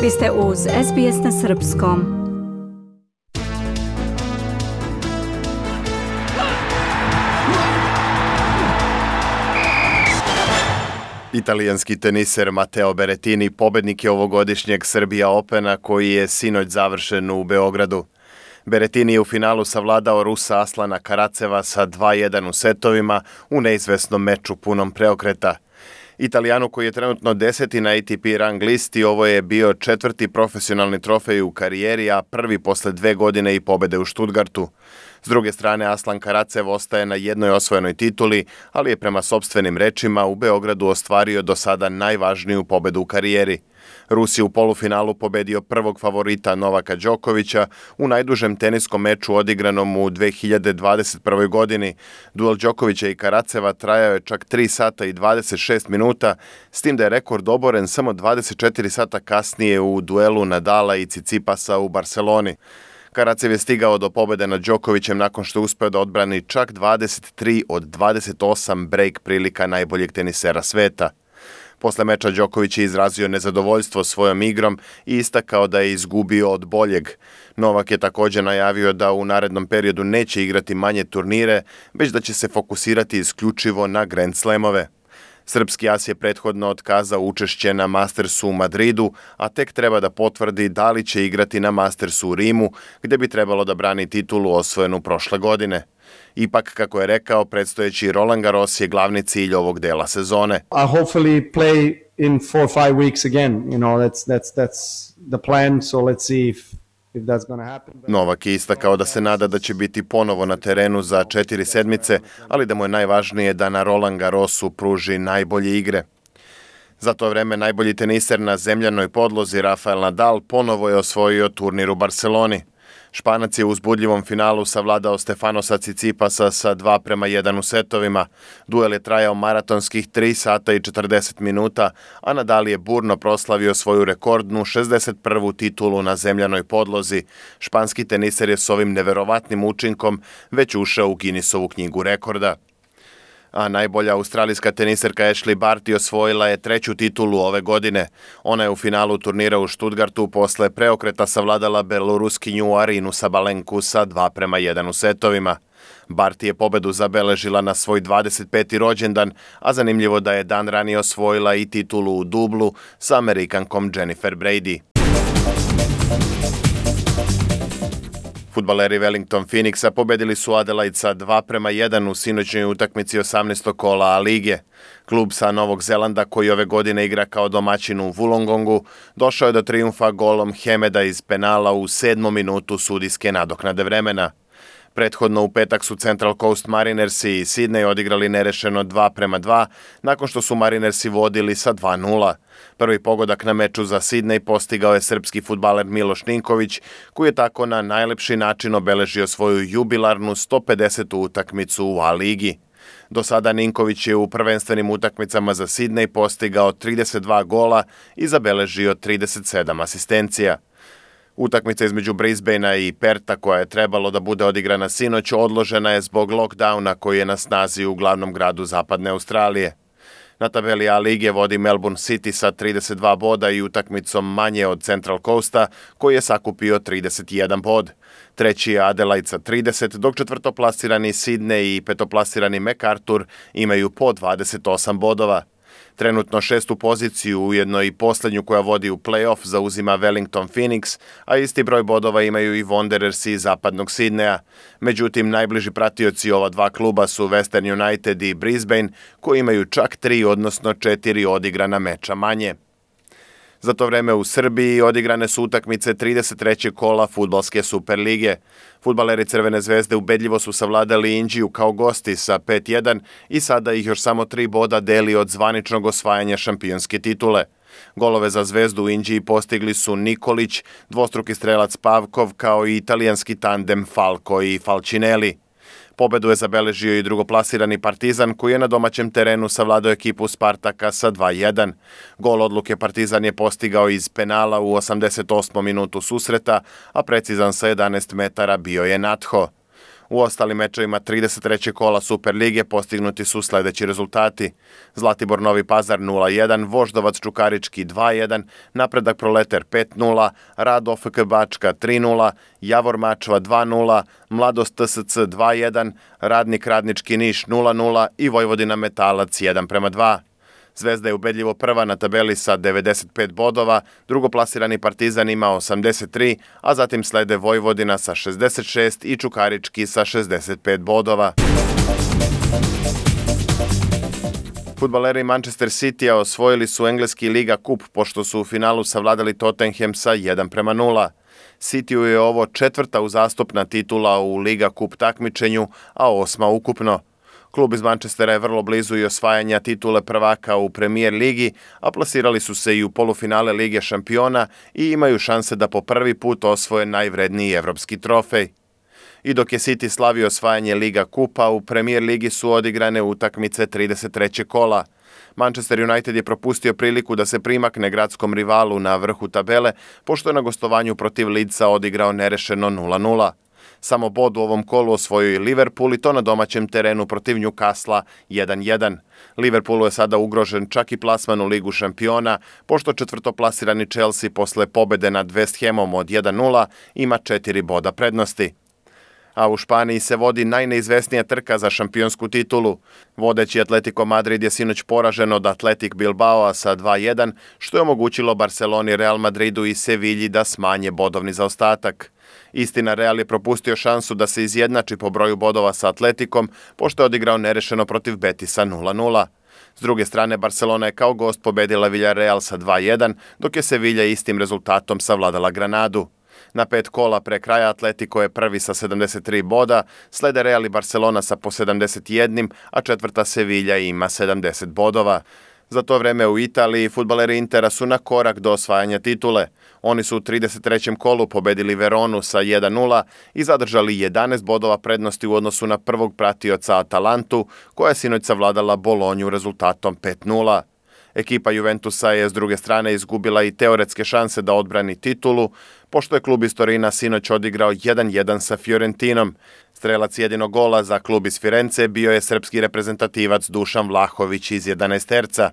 Vi ste uz SBS na Srpskom. Italijanski teniser Matteo Berrettini pobednik je ovogodišnjeg Serbia Opena koji je sinoć završen u Beogradu. Berrettini je u finalu savladao Rusa Aslana Karaceva sa 2:1 u setovima u neizvesnom meču punom preokreta. Italijanu koji je trenutno 10. na ATP rang listi, ovo je bio 4. profesionalni trofej u karijeri, a prvi posle 2 godine i pobede u Stuttgartu. S druge strane, Aslan Karacev ostaje na jednoj osvojenoj tituli, ali je prema sopstvenim rečima u Beogradu ostvario do sada najvažniju pobedu u karijeri. Rus je u polufinalu pobedio prvog favorita Novaka Đokovića u najdužem teniskom meču odigranom u 2021. godini. Duel Đokovića i Karaceva trajao je čak 3 sata i 26 minuta, s tim da je rekord oboren samo 24 sata kasnije u duelu Nadala i Cicipasa u Barseloni. Karacev je stigao do pobede nad Đokovićem nakon što je uspeo da odbrani čak 23 od 28 break prilika najboljeg tenisera sveta. Posle meča Đoković je izrazio nezadovoljstvo svojom igrom i istakao da je izgubio od boljeg. Novak je također najavio da u narednom periodu neće igrati manje turnire, već da će se fokusirati isključivo na Grand Slamove. Srpski as je prethodno otkazao učešće na Mastersu u Madridu, a tek treba da potvrdi da li će igrati na Mastersu u Rimu, gde bi trebalo da brani titulu osvojenu prošle godine. Ipak, kako je rekao, predstojeći Roland Garros je glavni cilj ovog dela sezone. I hopefully play in 4 or 5 weeks again. You know, that's the plan, so let's see if that's going to happen. Novak je istakao da se nada da će biti ponovo na terenu za 4 sedmice, ali da mu je najvažnije da na Roland Garrosu pruži najbolje igre. Za to vreme najbolji teniser na zemljanoj podlozi Rafael Nadal ponovo je osvojio turnir u Barseloni. Španac je u uzbudljivom finalu savladao Stefanosa Cicipasa sa 2:1 u setovima. Duel je trajao maratonskih 3 sata i 40 minuta, a Nadal je burno proslavio svoju rekordnu 61. titulu na zemljanoj podlozi. Španski teniser je s ovim neverovatnim učinkom već ušao u Guinnessovu knjigu rekorda. A najbolja australijska teniserka Ashley Barty osvojila je 3. titulu ove godine. Ona je u finalu turnira u Stuttgartu posle preokreta savladala beloruskinju Arinu Sabalenku sa 2:1 u setovima. Barty je pobedu zabeležila na svoj 25. rođendan, a zanimljivo da je dan ranije osvojila i titulu u dublu sa Amerikankom Jennifer Brady. Fudbaleri Wellington Phoenixa pobedili su Adelaide sa 2:1 u sinoćnoj utakmici 18. kola A lige. Klub sa Novog Zelanda, koji ove godine igra kao domaćin u Wollongongu, došao je do trijumfa golom Hemeda iz penala u 7. minutu sudijske nadoknade vremena. Prethodno u petak su Central Coast Marinersi i Sydney odigrali nerešeno 2:2 nakon što su Marinersi vodili sa 2:0. Prvi pogodak na meču za Sydney postigao je srpski fudbaler Miloš Ninković, koji je tako na najlepši način obeležio svoju jubilarnu 150. utakmicu u A ligi. Do sada Ninković je u prvenstvenim utakmicama za Sydney postigao 32 gola i zabeležio 37 asistencija. Utakmica između Brisbanea i Perta, koja je trebalo da bude odigrana sinoć, odložena je zbog lockdowna koji je na snazi u glavnom gradu Zapadne Australije. Na tabeli A lige vodi Melbourne City sa 32 boda i utakmicom manje od Central Coasta, koji je sakupio 31 bod. Treći je Adelaide sa 30, dok četvrtoplasirani Sydney i petoplasirani MacArthur imaju po 28 bodova. Trenutno 6. poziciju, ujedno i posljednju koja vodi u play-off, zauzima Wellington Phoenix, a isti broj bodova imaju i Wanderers iz zapadnog Sidneja. Međutim, najbliži pratioci ova dva kluba su Western United i Brisbane, koji imaju čak 3, odnosno 4 odigrana meča manje. Za to vreme u Srbiji odigrane su utakmice 33. kola fudbalske Superlige. Fudbaleri Crvene zvezde ubedljivo su savladali Inđiju kao gosti sa 5:1 i sada ih još samo 3 boda deli od zvaničnog osvajanja šampionske titule. Golove za Zvezdu u Inđiji postigli su Nikolić, dvostruki strelac Pavkov, kao i italijanski tandem Falco i Falcinelli. Pobedu je zabeležio i drugoplasirani Partizan, koji je na domaćem terenu savladao ekipu Spartaka sa 2:1. Gol odluke Partizan je postigao iz penala u 88. minutu susreta, a precizan sa 11 metara bio je Natho. U ostalim mečevima 33. kola Super lige postignuti su sledeći rezultati. Zlatibor Novi Pazar 0-1, Voždovac Čukarički 2-1, Napredak Proleter 5-0, Rad OFK Bačka 3-0, Javor Mačva 2-0, Mladost TSC 2-1, Radnik Radnički Niš 0-0 i Vojvodina Metalac 1:2. Zvezda je ubedljivo prva na tabeli sa 95 bodova, drugoplasirani Partizan ima 83, a zatim slede Vojvodina sa 66 i Čukarički sa 65 bodova. Fudbaleri Manchester Citya osvojili su engleski Liga Kup pošto su u finalu savladali Tottenham sa 1:0. Cityu je ovo 4. uzastopna titula u Liga Kup takmičenju, a 8. ukupno. Klub iz Manchestera je vrlo blizu i osvajanja titule prvaka u Premier ligi, a plasirali su se i u polufinale Lige šampiona i imaju šanse da po prvi put osvoje najvredniji evropski trofej. I dok je City slavio osvajanje Liga Kupa, u Premier ligi su odigrane utakmice 33. kola. Manchester United je propustio priliku da se primakne gradskom rivalu na vrhu tabele, pošto je na gostovanju protiv Leedsa odigrao nerešeno 0:0. Samo bod u ovom kolu osvojio i Liverpool i to na domaćem terenu protiv Newcastle 1:1. Liverpoolu je sada ugrožen čak i plasman u Ligu šampiona, pošto četvrtoplasirani Chelsea posle pobede nad West Hamom od 1:0 ima 4 boda prednosti. A u Španiji se vodi najneizvesnija trka za šampionsku titulu. Vodeći Atletico Madrid je sinoć poražen od Athletic Bilbaoa sa 2:1, što je omogućilo Barceloni, Real Madridu i Sevilji da smanje bodovni zaostatak. Istina, Real je propustio šansu da se izjednači po broju bodova sa Atleticom, pošto je odigrao nerešeno protiv Betisa 0:0. S druge strane, Barcelona je kao gost pobedila Villarreal sa 2:1, dok je Sevilla istim rezultatom savladala Granadu. Na 5 kola pre kraja Atletico je prvi sa 73 boda, slede Real i Barcelona sa po 71, a četvrta Sevilla ima 70 bodova. Za to vreme u Italiji fudbaleri Intera su na korak do osvajanja titule. Oni su u 33. kolu pobedili Veronu sa 1:0 i zadržali 11 bodova prednosti u odnosu na prvog pratioca Atalantu, koja je sinoć savladala Bolonju rezultatom 5:0. Ekipa Juventusa je s druge strane izgubila i teoretske šanse da odbrani titulu, pošto je klub iz Torina sinoć odigrao 1:1 sa Fiorentinom. Strelac jedinog gola za klub iz Firence bio je srpski reprezentativac Dušan Vlahović iz 11-terca.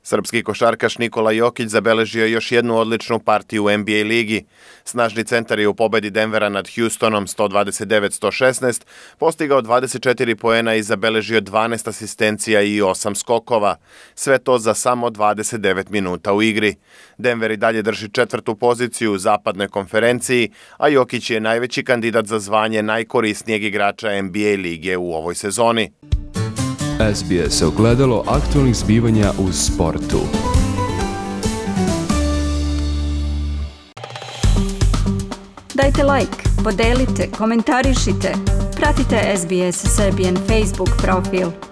Srpski košarkaš Nikola Jokić zabeležio još jednu odličnu partiju u NBA ligi. Snažni centar je u pobedi Denvera nad Houstonom 129-116 postigao 24 poena i zabeležio 12 asistencija i 8 skokova. Sve to za samo 29 minuta u igri. Denver i dalje drži 4. poziciju u zapadnoj konferenciji, a Jokić je najveći kandidat za zvanje najkorisnijeg igrača NBA lige u ovoj sezoni. SBS ogledalo aktualnih zbivanja u sportu. Dajte like, podelite, komentarišite. Pratite SBS Serbian Facebook profil.